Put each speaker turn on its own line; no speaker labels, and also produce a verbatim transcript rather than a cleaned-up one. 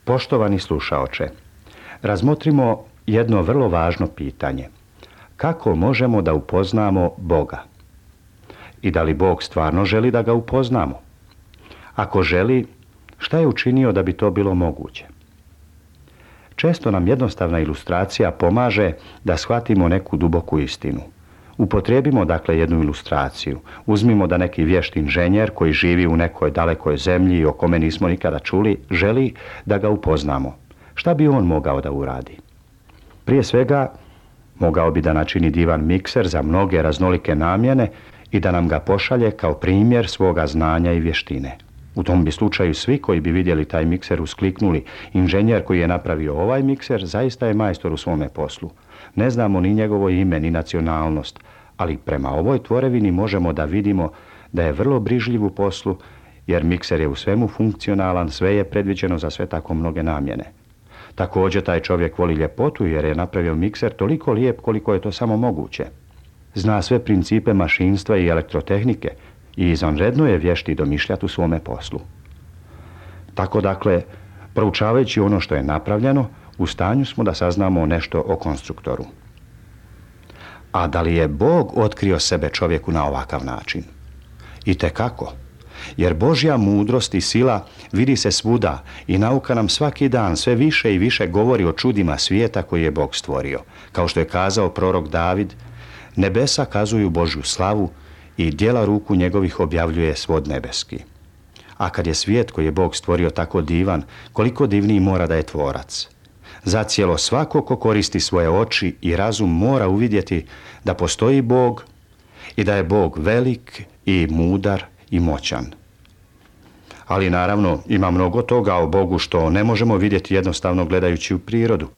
Poštovani slušaoče, razmotrimo jedno vrlo važno pitanje. Kako možemo da upoznamo Boga? I da li Bog stvarno želi da ga upoznamo? Ako želi, šta je učinio da bi to bilo moguće? Često nam jednostavna ilustracija pomaže da shvatimo neku duboku istinu. Upotrijebimo dakle jednu ilustraciju. Uzmimo da neki vješt inženjer koji živi u nekoj dalekoj zemlji o kome nismo nikada čuli, želi da ga upoznamo. Šta bi on mogao da uradi? Prije svega, mogao bi da načini divan mikser za mnoge raznolike namjene i da nam ga pošalje kao primjer svoga znanja i vještine. U tom bi slučaju svi koji bi vidjeli taj mikser uskliknuli: inženjer koji je napravio ovaj mikser zaista je majstor u svome poslu. Ne znamo ni njegovo ime ni nacionalnost, ali prema ovoj tvorevini možemo da vidimo da je vrlo brižljiv u poslu, jer mikser je u svemu funkcionalan, sve je predviđeno za sve tako mnoge namjene. Također taj čovjek voli ljepotu jer je napravio mikser toliko lijep koliko je to samo moguće. Zna sve principe mašinstva i elektrotehnike i izvanredno je vješt i domišljat u svome poslu. Tako dakle, proučavajući ono što je napravljeno, u stanju smo da saznamo nešto o konstruktoru. A da li je Bog otkrio sebe čovjeku na ovakav način? Itekako. Jer Božja mudrost i sila vidi se svuda i nauka nam svaki dan sve više i više govori o čudima svijeta koji je Bog stvorio. Kao što je kazao prorok David: nebesa kazuju Božju slavu i djela ruku njegovih objavljuje svod nebeski. A kad je svijet koji je Bog stvorio tako divan, koliko divniji mora da je tvorac. Zacijelo svako ko koristi svoje oči i razum mora uvidjeti da postoji Bog i da je Bog velik i mudar i moćan. Ali naravno ima mnogo toga o Bogu što ne možemo vidjeti jednostavno gledajući u prirodu.